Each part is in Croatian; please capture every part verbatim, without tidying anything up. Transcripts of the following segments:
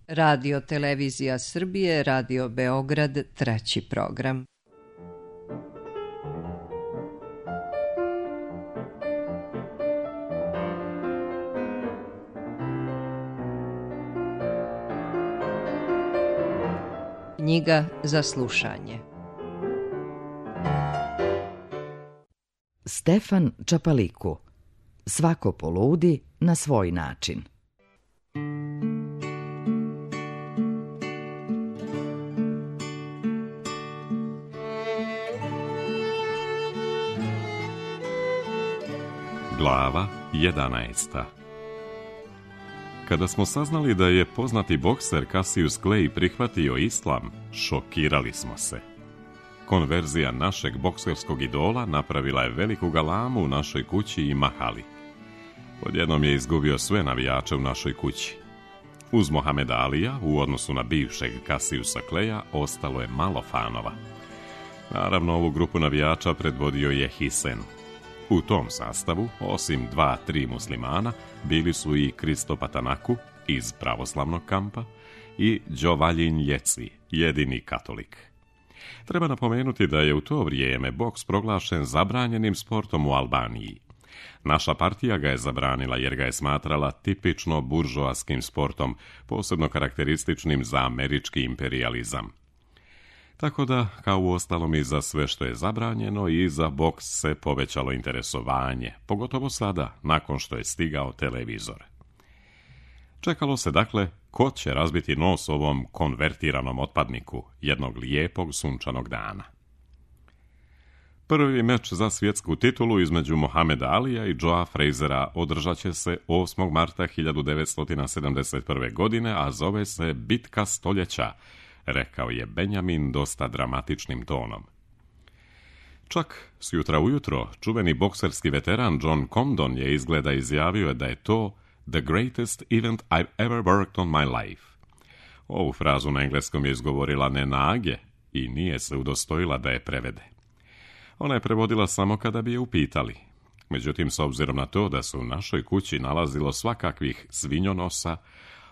Radio Televizija Srbije, Radio Beograd, treći program. Knjiga za slušanje. Stefan Čapaliku. Svako poludi na svoj način. Glava jedanaesta. Kada smo saznali da je poznati bokser Cassius Clay prihvatio islam, šokirali smo se. Konverzija našeg bokserskog idola napravila je veliku galamu u našoj kući i mahali. Odjednom je izgubio sve navijače u našoj kući. Uz Mohameda Alija, u odnosu na bivšeg Cassiusa Claya, ostalo je malo fanova. Naravno, ovu grupu navijača predvodio je Hisen. U tom sastavu, osim dva, tri muslimana, bili su i Kristo Patanaku iz pravoslavnog kampa i Đovaljin Jeci, jedini katolik. Treba napomenuti da je u to vrijeme boks proglašen zabranjenim sportom u Albaniji. Naša partija ga je zabranila jer ga je smatrala tipično buržoaskim sportom, posebno karakterističnim za američki imperijalizam. Tako da, kao u ostalom i za sve što je zabranjeno, i za boks se povećalo interesovanje, pogotovo sada, nakon što je stigao televizor. Čekalo se dakle ko će razbiti nos ovom konvertiranom otpadniku jednog lijepog sunčanog dana. Prvi meč za svjetsku titulu između Mohameda Alija i Joea Frazera održat će se osmog marta hiljadu devetsto sedamdeset prve. godine, a zove se Bitka stoljeća, rekao je Benjamin dosta dramatičnim tonom. Čak s jutra ujutro čuveni bokserski veteran John Comdon je izgleda izjavio da je to "the greatest event I've ever worked on my life". Ovu frazu na engleskom je izgovorila Nena Age i nije se udostojila da je prevede. Ona je prevodila samo kada bi je upitali. Međutim, s obzirom na to da se u našoj kući nalazilo svakakvih svinjonosa,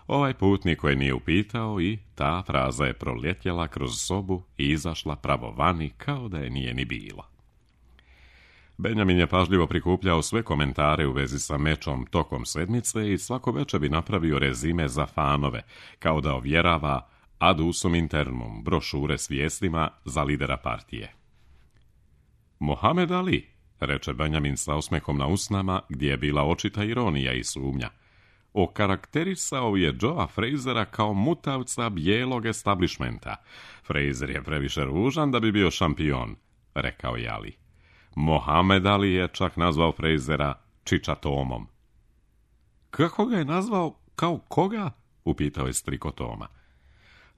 ovaj put niko je nije upitao i ta fraza je proljetjela kroz sobu i izašla pravo vani kao da je nije ni bilo. Benjamin je pažljivo prikupljao sve komentare u vezi sa mečom tokom sedmice i svako večer bi napravio rezime za fanove, kao da ovjerava ad usum internum brošure s vijestima za lidera partije. Mohamed Ali, reče Benjamin sa osmehom na usnama, gdje je bila očita ironija i sumnja, okarakterisao je Joea Frazera kao mutavca bijelog establishmenta. Frazer je previše ružan da bi bio šampion, rekao je Ali. Mohamed Ali je čak nazvao Frazera čičatomom. Kako ga je nazvao, kao koga? Upitao je striko Toma.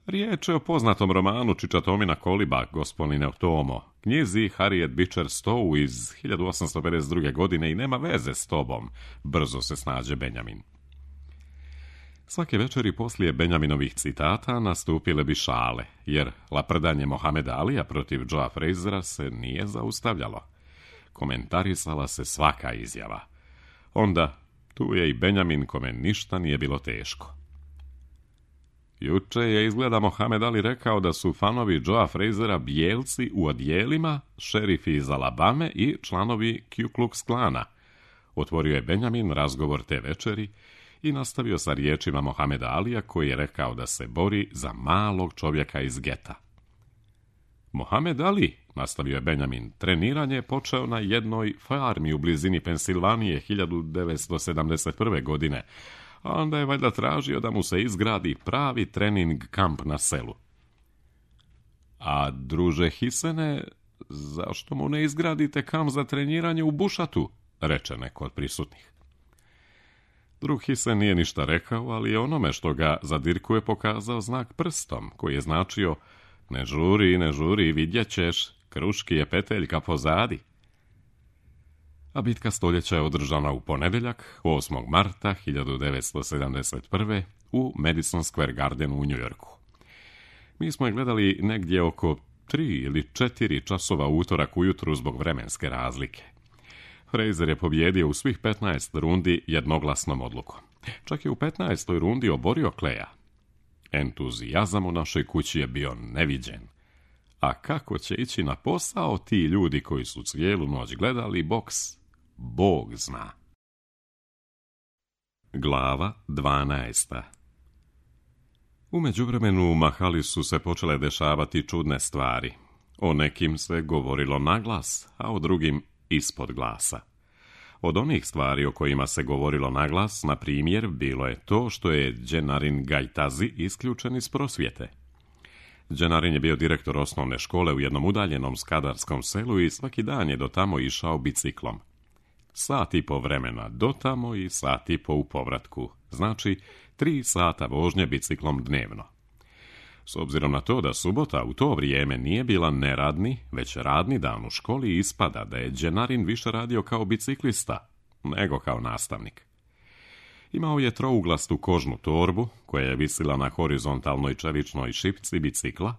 Riječ je o poznatom romanu Čičatomina koliba, gospodine Tomo, knjizi Harriet Beecher Stowe iz hiljadu osamsto pedeset druge. godine i nema veze s tobom, brzo se snađe Benjamin. Svake večeri poslije Benjaminovih citata nastupile bi šale, jer laprdanje Mohameda Alija protiv Joea Frazera se nije zaustavljalo. Komentarisala se svaka izjava. Onda tu je i Benjamin kome ništa nije bilo teško. Juče je izgleda Mohamed Ali rekao da su fanovi Joea Frazera bijelci u odjelima, šerifi iz Alabame i članovi Ku Klux Klana. Otvorio je Benjamin razgovor te večeri i nastavio sa riječima Mohameda Alija koji je rekao da se bori za malog čovjeka iz geta. Mohamed Ali, nastavio je Benjamin, treniranje je počeo na jednoj farmi u blizini Pensilvanije hiljadu devetsto sedamdeset prve. godine, a onda je valjda tražio da mu se izgradi pravi trening kamp na selu. A druže Hisene, zašto mu ne izgradite kamp za treniranje u bušatu, reče neko od prisutnih. Drug Hisen nije ništa rekao, ali je onome što ga zadirkuje pokazao znak prstom, koji je značio ne žuri, ne žuri, vidjet ćeš, kruški je peteljka pozadi. A bitka stoljeća je održana u ponedjeljak, osmog marta hiljadu devetsto sedamdeset prve. u Madison Square Gardenu u Njujorku. Mi smo je gledali negdje oko tri ili četiri časova utorak ujutru zbog vremenske razlike. Frazer je pobjedio u svih petnaest rundi jednoglasnom odlukom. Čak je u petnaestoj rundi oborio Claya. Entuzijazam u našoj kući je bio neviđen. A kako će ići na posao ti ljudi koji su cijelu noć gledali boks, Bog zna. Glava dvanaesta. U međuvremenu u mahali su se počele dešavati čudne stvari. O nekim se govorilo naglas, a o drugim ispod glasa. Od onih stvari o kojima se govorilo naglas, na primjer, bilo je to što je Dženarin Gajtazi isključen iz prosvjete. Dženarin je bio direktor osnovne škole u jednom udaljenom skadarskom selu i svaki dan je do tamo išao biciklom. Sat i po vremena do tamo i sat i po u povratku, znači tri sata vožnje biciklom dnevno. S obzirom na to da subota u to vrijeme nije bila neradni, već radni dan u školi, ispada da je Dženarin više radio kao biciklista nego kao nastavnik. Imao je trouglastu kožnu torbu koja je visila na horizontalnoj čeličnoj šipci bicikla,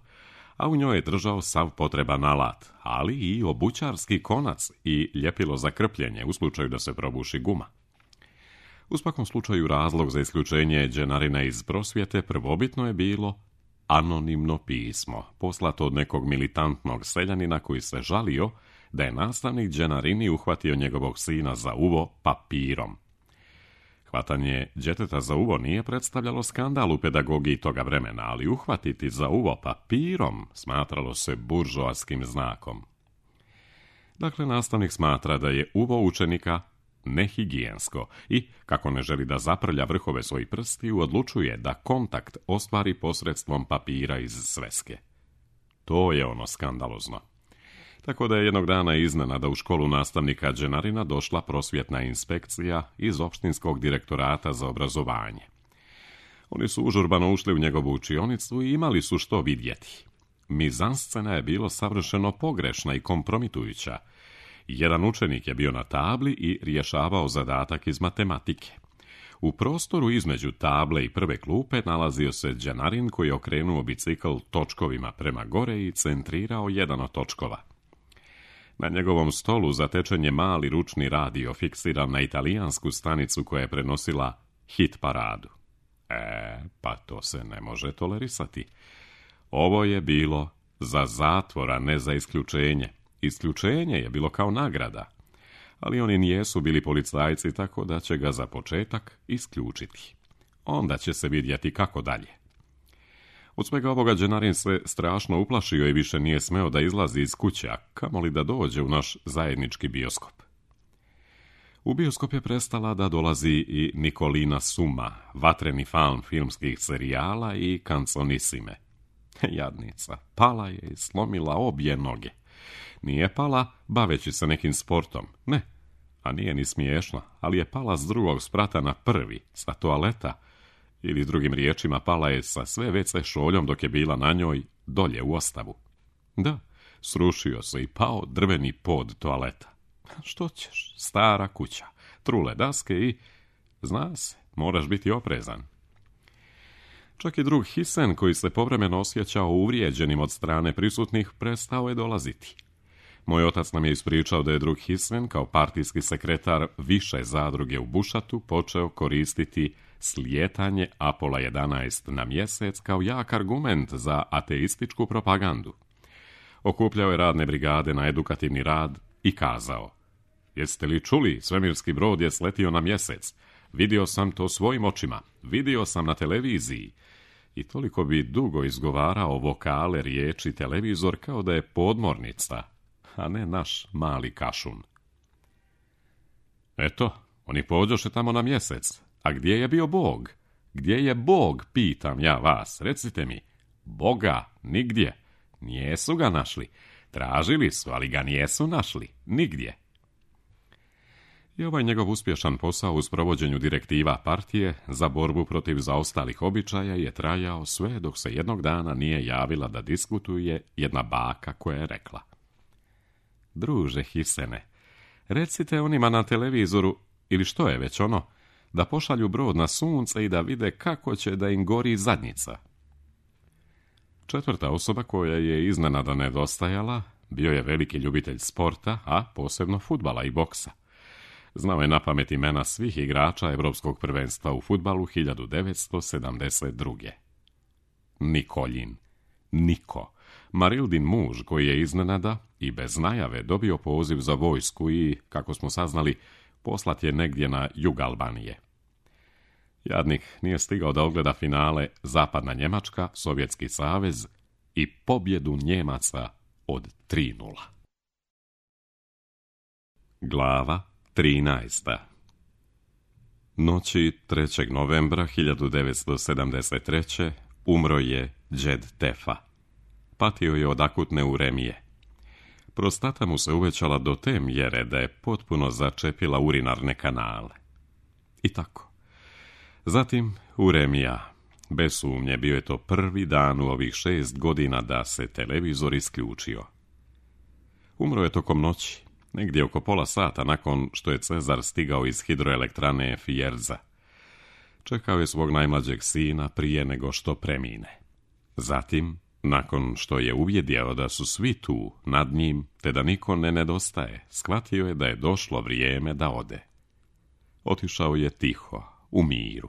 a u njoj je držao sav potreban alat, ali i obućarski konac i ljepilo za krpljenje u slučaju da se probuši guma. U svakom slučaju razlog za isključenje Dženarina iz prosvjete prvobitno je bilo anonimno pismo, poslato od nekog militantnog seljanina koji se žalio da je nastavnik Dženarini uhvatio njegovog sina za uvo papirom. Hvatanje djeteta za uvo nije predstavljalo skandal u pedagogiji toga vremena, ali uhvatiti za uvo papirom smatralo se buržoaskim znakom. Dakle, nastavnik smatra da je uvo učenika nehigijensko i, kako ne želi da zaprlja vrhove svojih prstiju, odlučuje da kontakt ostvari posredstvom papira iz sveske. To je ono skandalozno. Tako da je jednog dana iznenada u školu nastavnika Dženarina došla prosvjetna inspekcija iz opštinskog direktorata za obrazovanje. Oni su užurbano ušli u njegovu učionicu i imali su što vidjeti. Mizanscena je bilo savršeno pogrešna i kompromitujuća. Jedan učenik je bio na tabli i rješavao zadatak iz matematike. U prostoru između table i prve klupe nalazio se Dženarin koji je okrenuo bicikl točkovima prema gore i centrirao jedan od točkova. Na njegovom stolu zatečen je mali ručni radio fiksiran na italijansku stanicu koja je prenosila hit paradu. E, pa to se ne može tolerisati. Ovo je bilo za zatvor, a ne za isključenje. Isključenje je bilo kao nagrada, ali oni nijesu bili policajci, tako da će ga za početak isključiti. Onda će se vidjeti kako dalje. Od svega ovoga Dženarin se strašno uplašio i više nije smeo da izlazi iz kuće, a kamoli da dođe u naš zajednički bioskop. U bioskop je prestala da dolazi i Nikolina Suma, vatreni fan filmskih serijala i kanconisime. Jadnica, pala je i slomila obje noge. Nije pala baveći se nekim sportom, ne, a nije ni smiješno, ali je pala s drugog sprata na prvi, sa toaleta, ili drugim riječima pala je sa sve ve ce šoljom dok je bila na njoj dolje u ostavu. Da, srušio se i pao drveni pod toaleta. Što ćeš, stara kuća, trule daske i, zna se, moraš biti oprezan. Čak i drug Hisen, koji se povremeno osjećao uvrijeđenim od strane prisutnih, prestao je dolaziti. Moj otac nam je ispričao da je drug Hisen, kao partijski sekretar više zadruge u Bušatu, počeo koristiti slijetanje Apola jedanaest na mjesec kao jak argument za ateističku propagandu. Okupljao je radne brigade na edukativni rad i kazao: jeste li čuli, svemirski brod je sletio na mjesec. Vidio sam to svojim očima, vidio sam na televiziji. I toliko bi dugo izgovarao vokale riječi televizor kao da je podmornica, a ne naš mali kašun. Eto, oni pođoše tamo na mjesec. A gdje je bio Bog? Gdje je Bog, pitam ja vas, recite mi. Boga nigdje. Nijesu ga našli. Tražili su, ali ga nijesu našli. Nigdje. I ovaj njegov uspješan posao u sprovođenju direktiva partije za borbu protiv zaostalih običaja je trajao sve dok se jednog dana nije javila da diskutuje jedna baka koja je rekla: druže Hisene, recite onima na televizoru, ili što je već ono, da pošalju brod na sunce i da vide kako će da im gori zadnjica. Četvrta osoba koja je iznenada nedostajala bio je veliki ljubitelj sporta, a posebno fudbala i boksa. Znao je napamet imena svih igrača Evropskog prvenstva u fudbalu hiljadu devetsto sedamdeset druge. Nikoljin. Niko. Marildin muž koji je iznenada i bez najave dobio poziv za vojsku i, kako smo saznali, poslat je negdje na jug Albanije. Jadnik nije stigao da ogleda finale Zapadna Njemačka, Sovjetski savez i pobjedu Njemaca od tri nula. Glava trinaesta. Noći trećeg novembra hiljadu devetsto sedamdeset treće. umro je Džed Tefa. Patio je od akutne uremije. Prostata mu se uvećala do te mjere da je potpuno začepila urinarne kanale. I tako. Zatim uremija. Bez sumnje bio je to prvi dan u ovih šest godina da se televizor isključio. Umro je tokom noći, negdje oko pola sata nakon što je Cezar stigao iz hidroelektrane Fijerza. Čekao je svog najmlađeg sina prije nego što premine. Zatim, nakon što je uvjedio da su svi tu nad njim, te da niko ne nedostaje, shvatio je da je došlo vrijeme da ode. Otišao je tiho, u miru.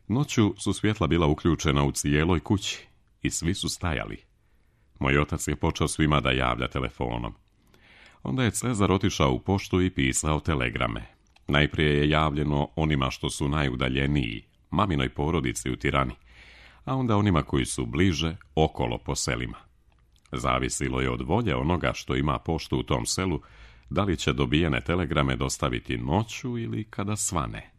Noću su svjetla bila uključena u cijeloj kući i svi su stajali. Moj otac je počeo svima da javlja telefonom. Onda je Cezar otišao u poštu i pisao telegrame. Najprije je javljeno onima što su najudaljeniji, maminoj porodici u Tirani, a onda onima koji su bliže, okolo po selima. Zavisilo je od volje onoga što ima poštu u tom selu, da li će dobijene telegrame dostaviti noću ili kada svane.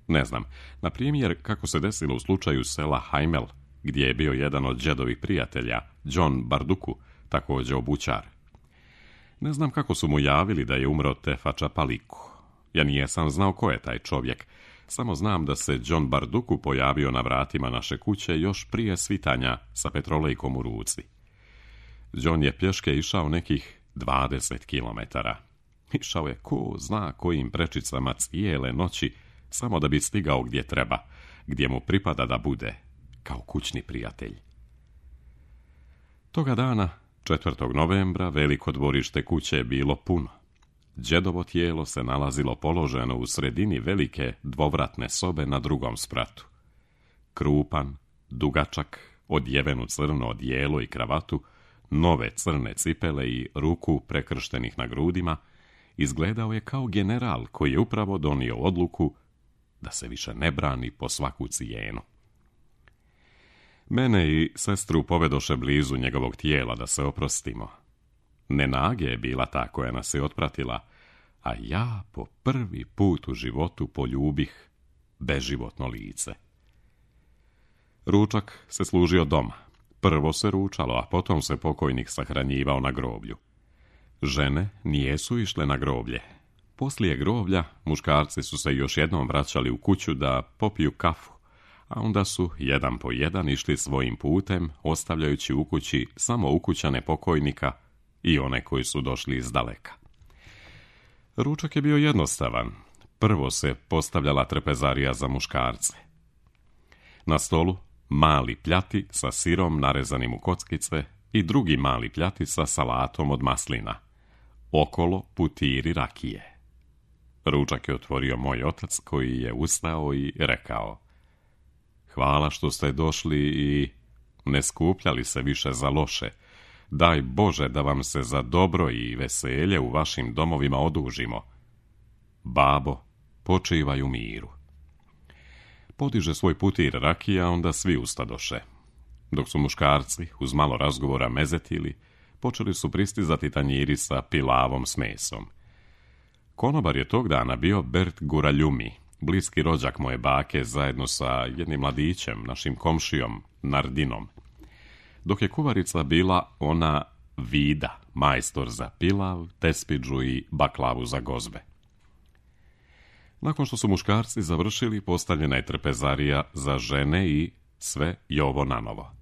Ne znam, na primjer kako se desilo u slučaju sela Hajmel, gdje je bio jedan od Džedovih prijatelja, John Barduku, također obućar. Ne znam kako su mu javili da je umro Tefa Čapaliku. Ja nijesam znao ko je taj čovjek, samo znam da se John Barduku pojavio na vratima naše kuće još prije svitanja sa petrolejkom u ruci. John je pješke išao nekih dvadeset kilometara. Išao je ko zna kojim prečicama cijele noći, samo da bi stigao gdje treba, gdje mu pripada da bude, kao kućni prijatelj. Toga dana, četvrtog novembra, veliko dvorište kuće je bilo puno. Džedovo tijelo se nalazilo položeno u sredini velike dvovratne sobe na drugom spratu. Krupan, dugačak, odjeven u crno odijelo i kravatu, nove crne cipele i ruku prekrštenih na grudima, izgledao je kao general koji je upravo donio odluku da se više ne brani po svaku cijenu. Mene i sestru povedoše blizu njegovog tijela da se oprostimo. Nenage je bila ta koja nas je otpratila, a ja po prvi put u životu poljubih beživotno lice. Ručak se služio doma. Prvo se ručalo, a potom se pokojnik sahranjivao na groblju. Žene nijesu išle na groblje. Poslije groblja muškarci su se još jednom vraćali u kuću da popiju kafu, a onda su jedan po jedan išli svojim putem, ostavljajući u kući samo ukućane pokojnika i one koji su došli iz daleka. Ručak je bio jednostavan. Prvo se postavljala trpezarija za muškarce. Na stolu mali pljati sa sirom narezanim u kockice i drugi mali pljati sa salatom od maslina. Okolo putiri rakije. Ručak je otvorio moj otac koji je ustao i rekao: "Hvala što ste došli i ne skupljali se više za loše. Daj Bože da vam se za dobro i veselje u vašim domovima odužimo. Babo, počivaj u miru." Podiže svoj putir rakija, onda svi ustadoše. Dok su muškarci, uz malo razgovora, mezetili, počeli su pristizati tanjiri sa pilavom s mesom. Konobar je tog dana bio Bert Guraljumi, bliski rođak moje bake, zajedno sa jednim mladićem, našim komšijom, Nardinom. Dok je kuvarica bila ona Vida, majstor za pilav, tespidžu i baklavu za gozbe. Nakon što su muškarci završili, postavljena je trpezarija za žene i sve jovo nanovo.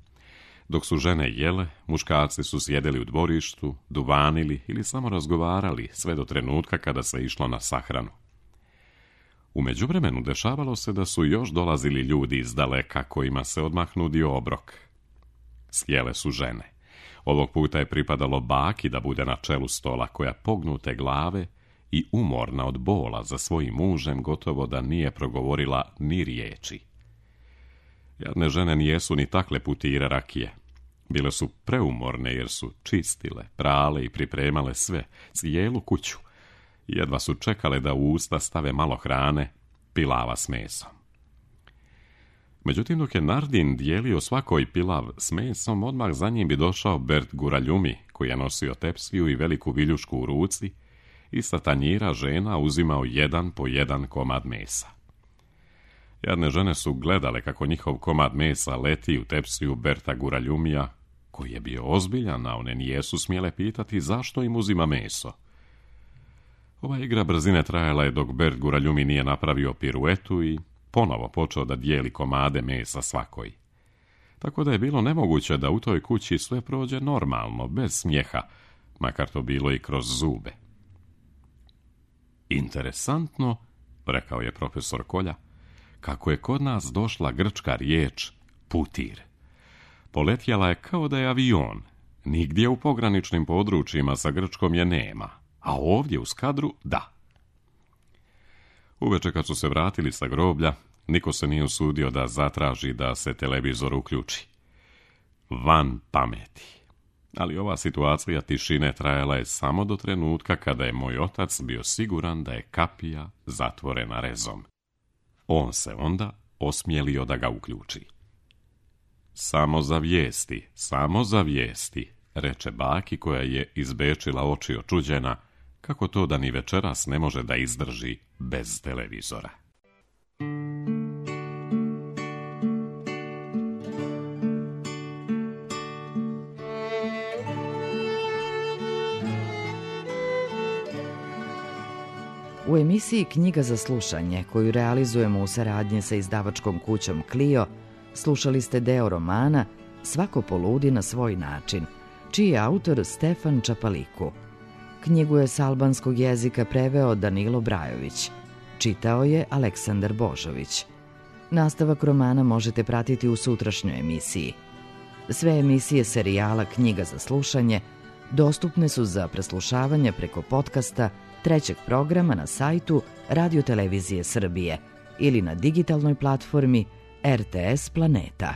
Dok su žene jele, muškarci su sjedili u dvorištu, duvanili ili samo razgovarali sve do trenutka kada se išlo na sahranu. U međuvremenu dešavalo se da su još dolazili ljudi iz daleka kojima se odmah nudio obrok. Sjele su žene. Ovog puta je pripadalo baki da bude na čelu stola, koja pognute glave i umorna od bola za svojim mužem gotovo da nije progovorila ni riječi. Jadne žene nijesu ni takle putire rakije. Bile su preumorne jer su čistile, prale i pripremale sve, cijelu kuću. Jedva su čekale da u usta stave malo hrane, pilava s mesom. Međutim, dok je Nardin dijelio svakoj pilav s mesom, odmah za njim bi došao Bert Guraljumi, koji je nosio tepsiju i veliku viljušku u ruci, i sa tanjira žena uzimao jedan po jedan komad mesa. Jadne žene su gledale kako njihov komad mesa leti u tepsiju Berta Guraljumija, koji je bio ozbiljan, a one nijesu smjele pitati zašto im uzima meso. Ova igra brzine trajala je dok Bert Guraljumi nije napravio piruetu i ponovo počeo da dijeli komade mesa svakoj. Tako da je bilo nemoguće da u toj kući sve prođe normalno, bez smijeha, makar to bilo i kroz zube. Interesantno, rekao je profesor Kolja, kako je kod nas došla grčka riječ putir. Poletjela je kao da je avion. Nigdje u pograničnim područjima sa Grčkom je nema, a ovdje u Skadru da. Uveče kad su se vratili sa groblja, niko se nije usudio da zatraži da se televizor uključi. Van pameti. Ali ova situacija tišine trajala je samo do trenutka kada je moj otac bio siguran da je kapija zatvorena rezom. On se onda osmjelio da ga uključi. Samo za vijesti, samo za vijesti, reče baki koja je izbečila oči očuđena, kako to da ni večeras ne može da izdrži bez televizora. U emisiji Knjiga za slušanje, koju realizujemo u saradnji sa izdavačkom kućom Clio, slušali ste deo romana Svako poludi na svoj način, čiji je autor Stefan Čapaliku. Knjigu je s albanskog jezika preveo Danilo Brajović. Čitao je Aleksandar Božović. Nastavak romana možete pratiti u sutrašnjoj emisiji. Sve emisije serijala Knjiga za slušanje dostupne su za preslušavanje preko podcasta trećeg programa na sajtu Radio Televizije Srbije ili na digitalnoj platformi R T S Planeta.